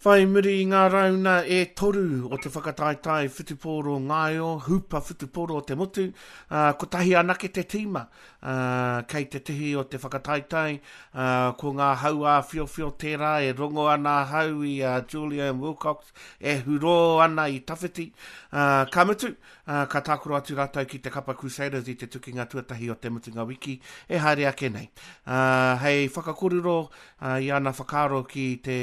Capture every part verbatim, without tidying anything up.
Whai muri i ngā rauna e toru o te whakataetae whutupōro ngaio, hupa whutupōro o te motu, uh, kotahi anake te tīma uh, kei te tihi o te whakataetae, uh, ko ngā hau āwhiowhio tērā e rongo ana ahau i a uh, Julian Wilcox e hurō ana i tawhiti. Uh, ka mutu, uh, ka tākaro atu rātou ki te kapa Crusaders i te tukinga tuatahi o te mutunga wiki e haere ake nei. Uh, hei whakakorero uh, i ana whakaaro ki te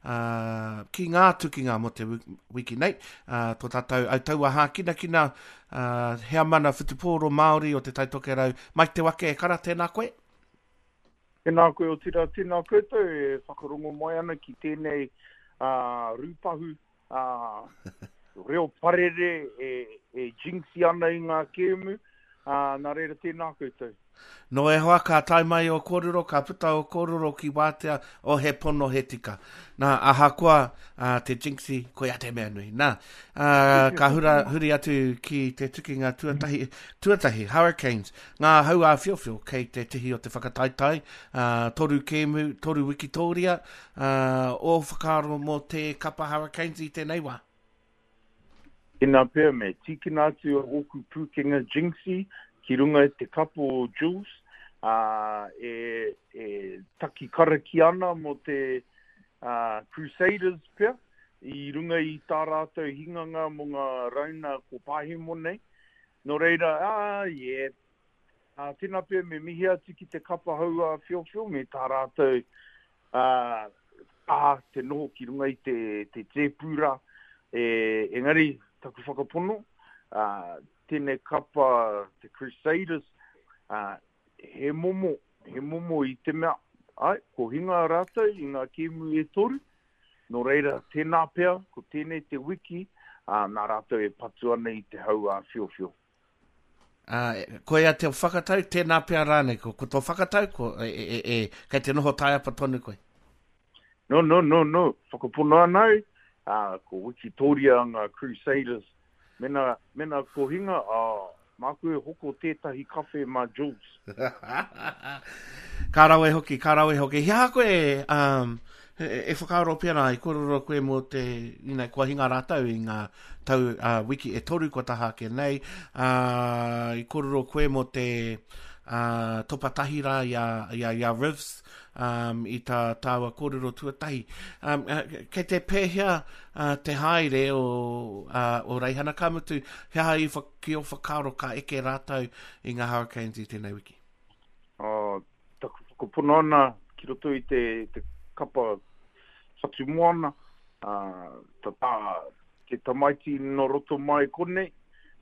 uh, ki ngā tukinga mō te wiki nei, uh, tō tātou autaua hākinakina, uh, heamana whutupōro Māori o te Tai Tokerau, Mike Te Wake, e kara, tēnā koe? Tēnā koe otirā, tēnā koutou e whakarongo mai ana ki tēnei uh, rūpahu uh, reo parere e, e jinxi ana i ngā kēmu, uh, nā reira tēnā koutou. No e hoa, ka tae mai o kōrero, ka puta o kōrero ki wātea o he pono he tika. Nā, ahakoa uh, te jinxi, koia te mea nui. Nā, uh, ka hura, huri atu ki te tukinga tuatahi, tuatahi, Hurricanes, ngā hau āwhiowhio kei te tihi o te whakataetae, uh, toru kēmu, toru wikitōria, uh, o whakaaro mō te kapa Hurricanes i tēnei wā. Tēnā pea me tīkina atu o ōku pūkenga jinxi ki runga i te kapa o Jules, uh, e, e taki karakia ana mō te uh, Crusaders pea, i runga i tā rātou hinganga mō ngā rauna ko pahemo nei. Nō reira, ah, yeah, uh, tēnā pea me mihi atu ki te kapa hau āwhiowhio me tā rātou uh, ah, te noho ki runga i te, te tēpūra. E, engari, taku whakapono, uh, tēnei kapa te Crusaders, uh, he momo, he momo i te mea, ai, ko hinga rātou i ngā kēmu e toru, nō reira, tēnā pea, ko tēnei te wiki, uh, nā rātou e patu ana i te hau āwhiowhio. Uh, koia te whakatau, tēnā pea rānei, ko, ko tō whakatau, ko, e, e, e, kei te noho taiapa tonu koe? No, no, no, no, whakapono ana au, uh, ko Wikitoria ngā Crusaders, mena, mena ko hinga, uh, māku e hoko tētahi kawhe mā Jules. Ka rawe hoki, ka rawe hoki. He aha koe um, e, e whakaaro pērā, i kōrero koe mō te, you know, kua hinga rātou i ngā tau uh, wiki e toru kua taha ake nei, uh, i kōrero koe mō te uh, topa tahi rā i a, i a, i a Rivs, um, i tā tāua kōrero tuatahi. Um, kei te pēhea uh, te haere o, uh, o Reihana, ka mutu, he aha i wha, ki o whakaaro ka eke rātou i ngā Hurricanes i tēnei wiki? Uh, taku whakapono ana ki roto i te, te kapa whatumoana, uh, tā, tā, te tamaiti no roto mai konei,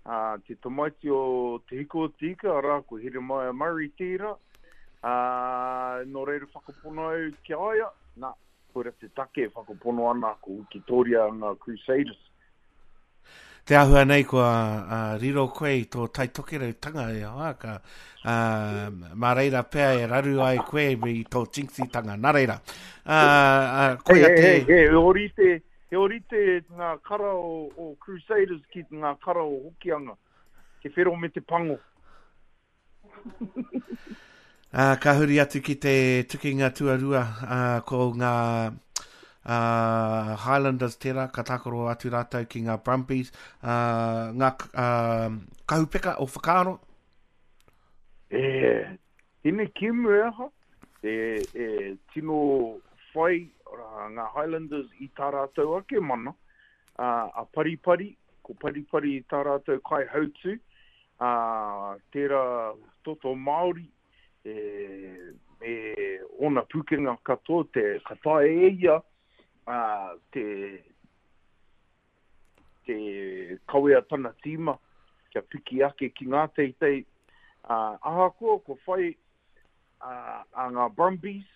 uh, te tamaiti o Te Hiko o Te Ika, arā, ko Heremaia Murray tērā, uh, nō reira whakapono au ki a ia, nā, koira te take e whakapono ana ko Wikitoria ngā Crusaders. Te āhua nei kua uh, riro koe i tō Tai Tokerautanga e hoa, ka, uh, mā reira pea e raru ai koe me i tō jinxitanga. Nā reira, uh, uh, koia Hey, te... hey, hey, he orite, he orite ngā kara o, o Crusaders ki ngā kara o Hokianga, te whero me te pango. Uh, ka huri atu ki te tukinga tuarua, uh, ko ngā uh, Highlanders tērā, ka tākaro atu rātou ki ngā Brumbies, uh, ngā uh, kahupeka o whakaaro. E, tēnei kēmu e aha, e, e tino whai uh, ngā Highlanders i tā rātou ake mana, uh, a Paripari, ko Paripari i tā rātou kai hautu, uh, tērā toto Māori, e, me ōna pūkenga katoa, te, ka taea e ia uh, te, te kawea tana tīma kia piki ake ki ngā teitei. Uh, ahakoa ko whai uh, a ngā Brumbies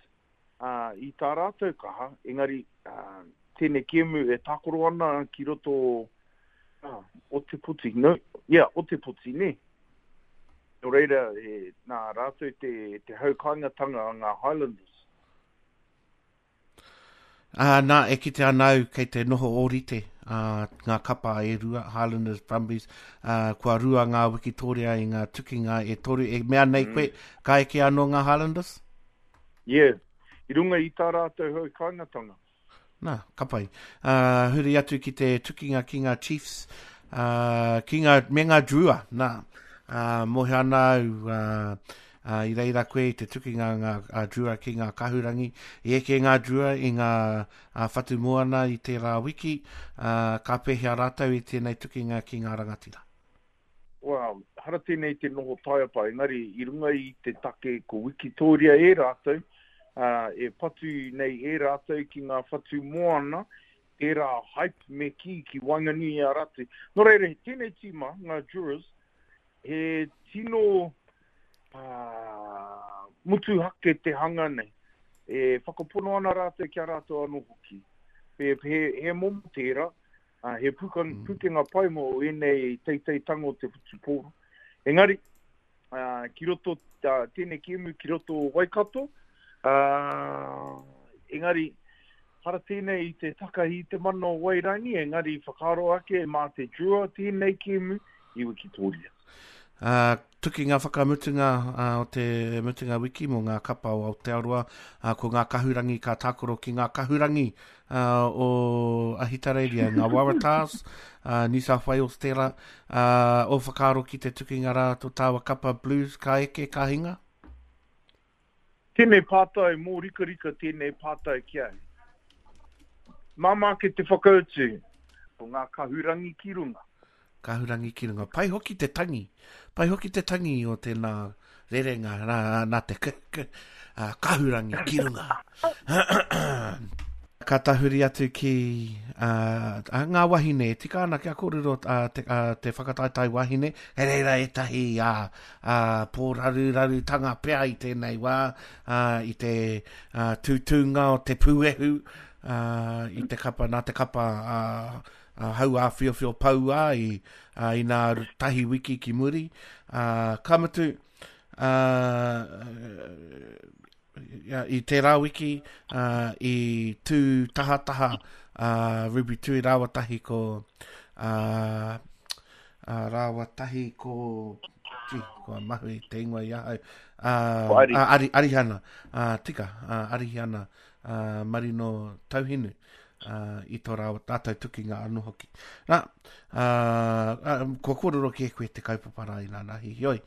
uh, i tā rātou kaha, engari uh, tēnei kēmu e tākaro ana ki roto uh, o te poti, no? Yeah, o te poti, ne? Nō reira, e, nā rātou te, te hau kāingatanga a ngā Highlanders. Uh, nā, e kite ana au kei te noho ōrite uh, ngā kapa e rua, Highlanders, Brumbies, uh, kua rua ngā Wikitoria i ngā tukinga e toru. E mea nei koe, ka eke anō ngā Highlanders? Yeah, i runga i tā rātou hau kāingatanga. Nā, ka pai. Uh, huri atu ki te tukinga ki ngā Chiefs, uh, ki ngā, me ngā Drua. Nā, uh, mohe ana au, uh, uh, i reira koe i te tukinga ngā uh, Drua ki ngā kahurangi. I eke ngā Drua i ngā uh, whatu moana i tērā wiki, uh, ka pēhea rātou i tēnei tukinga ki ngā rangatira. Well, hara tēnei te noho taiapa, engari i runga i te take ko Wikitoria e rātou, uh, e patu nei e rātou ki ngā whatu moana, tērā hype me ki ki waenganui i a rātou. Nō reira, tēnei tīma, ngā Druas, he tino uh, mutuhake te hanga nei. E whakapono ana rātou ki a rātou anō hoki. He, he, he momo tērā, uh, he puka, mm. pukenga pai mō ēnei teiteitanga o te whutupōro. Engari, uh, ki roto, uh, tēnei kēmu ki roto o Waikato, uh, engari, hara tēnei i te takahi i te mana o Wairangi, engari whakaaro ake mā te Drua tēnei kēmu i Wikitoria. Uh, tukinga whakamutunga uh, o te mutunga wiki mō ngā kapa o Aotearoa, uh, ko ngā kahurangi ka tākaro ki ngā kahurangi uh, o Ahitereiria, ngā Waratahs, uh, New South Wales tērā, uh, o whakaaro ki te tukinga rā tō tāua kapa Blues ka eke ka hinga? Tēnei pātai, mō rikarika tēnei pātai ki au. Māmā ke te whakautu, ko ngā kahurangi ki runga. Kahurangi ki runga. Pai hoki te tangi. Pai hoki te tangi o tēnā rerenga nā, nā te k, k, uh, kahurangi ki runga. Ka tahuri atu ki uh, ngā wahine. Tika ana kia kōrero uh, te, uh, te whakataetae wahine. Hei reira ētahi uh, uh, pōrarurarutanga pea i tēnei wā, uh, i te uh, tūtūnga o te pūehu, uh, i te kapa, nā te kapa uh, Uh, hau āwhiowhio paua i, uh, i nā tahi wiki ki muri. Uh, ka mutu, uh, i tērā wiki, uh, i tū tahataha uh, Ruby Tui rāua tahi ko uh, uh, rāua tahi ko gee, kua mahu i te ingoa i ahau uh, Ari. uh, Ari, Arihana, uh, tika, uh, Arihana uh, Marino Tauhinu. Uh, i tō rāua tātou tukinga anō hoki. Nā, uh, uh, kua kōrero ki e koe te kaupapa rā i nā nahi. Heoi,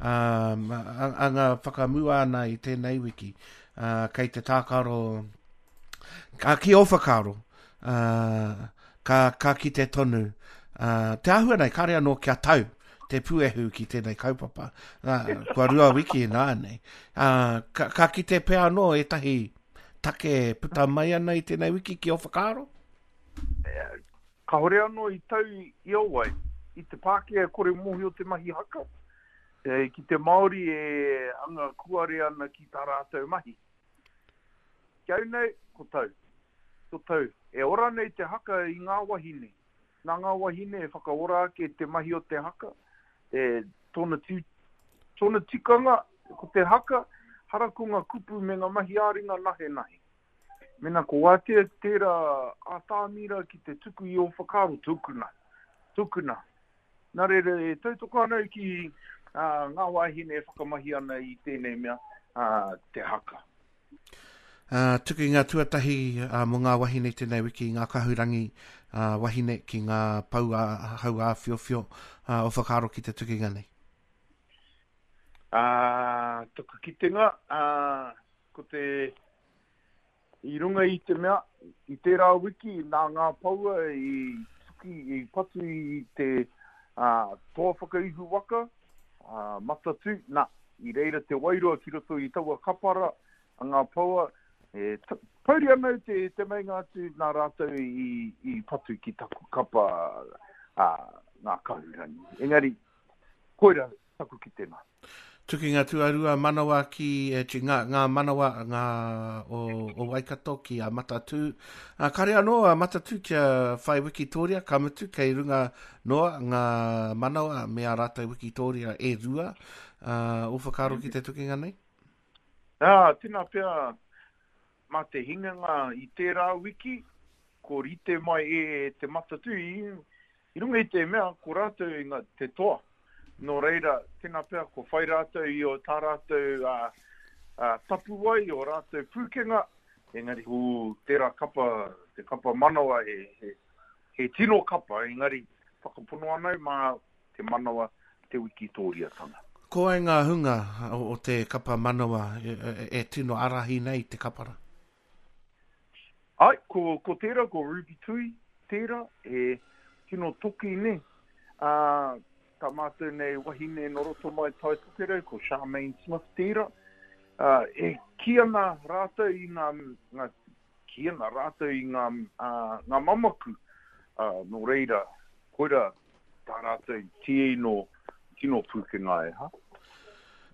um, anga whakamua ana i tēnei wiki, uh, kei te tākaro, ka ki ō whakaaro, uh, ka, ka kite tonu. Uh, te āhua nei, kāre anō kia tau te puehu ki tēnei kaupapa. Uh, kua rua wiki nā nei. Uh, ka, ka kite pea anō ētahi take puta mai ana i tēnei wiki ki o whakaaro? Kāhore anō i tau i o wai, i te Pākehā e kore mōhio te mahi haka, e, ki te Māori e anga kuare ana ki tā rātou mahi. Ki au nei, ko tau. Ko tau. E ora nei te haka i ngā wahine. Nā ngā wahine e whakaora ake te mahi o te haka, e, tōna, ti, tōna tikanga, ko te haka, hara ko ngā kupu me ngā mahi āringa nahe nahe. Mena ko wātea tērā ātāmira ki te tuku i o whakaaro, tukuna, tukuna. Nā reira, e tautoko ana ki uh, ngā wāhine e whakamahi ana i tēnei mea, uh, te haka. Uh, tukinga tuatahi uh, mō ngā wahine tēnei wiki, ngā kahurangi uh, wahine ki ngā pau a, hau āwhiowhio uh, o whakaaro ki te tukinga nei. Uh, taku kitenga, uh, ko te i runga i te mea, i tērā wiki nā ngā paua i tuki, i patu i te uh, toa whakaihu waka, uh, matatū, nā, i reira te wairua ki roto i taua kapara a ngā paua, e, pauri ana te, te meinga atu nā rātou i, i patu ki taku kapa uh, ngā kahurangi. Engari, koira taku kitenga. Tukinga tuarua manawa ki, e, ngā, ngā manawa ngā o, o Waikato ki a Matatū. A, kare anō a Matatū kia whai Wikitoria, ka mutu kei runga noa ngā manawa me a rātou Wikitoria e rua. Uh, o whakaaro ki te tukinga nei? Ah, tēnā pea mā te hinganga i tērā wiki, ko rite mai e te Matatū i, i runga i te mea, ko rātou i ngā, te toa. Nō reira, tēnā pea, ko whai rātou i o tā rātou uh, uh, tapuwai, o rātou pūkenga, engari, hū, tērā kapa, te kapa manawa he, he, he tino kapa, engari whakapono ana au mā te manawa te wikitōriatanga. Ko wai ngā hunga o, o te kapa manawa e, e, e tino arahi nei te kapara? Ai, ko, ko tērā, ko Ruby Tui, tērā, he tino toki ne. Uh, tā mātou nei wahine no roto mai Tai Tokerau, ko Charmaine Smith tērā. Uh, e ki ana rātou i ngā, ngā ki ana rātou i ngā, uh, ngā mamaku. Uh, nō reira, koira tā rātou tino, tino pūkenga e, ha?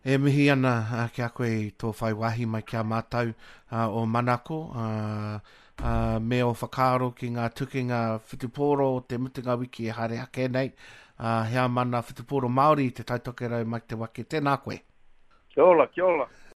E mihi ana ki a koe i tō whai wāhi mai ki a mātou uh, o Manako, uh, uh, me o whakaaro ki ngā tukinga whutupōro o te mutunga wiki e haere ake nei, uh, heamana whutupōro Māori i te Taitokerau Mike Te Wake. Tēnā koe. Kia ora, kia ora.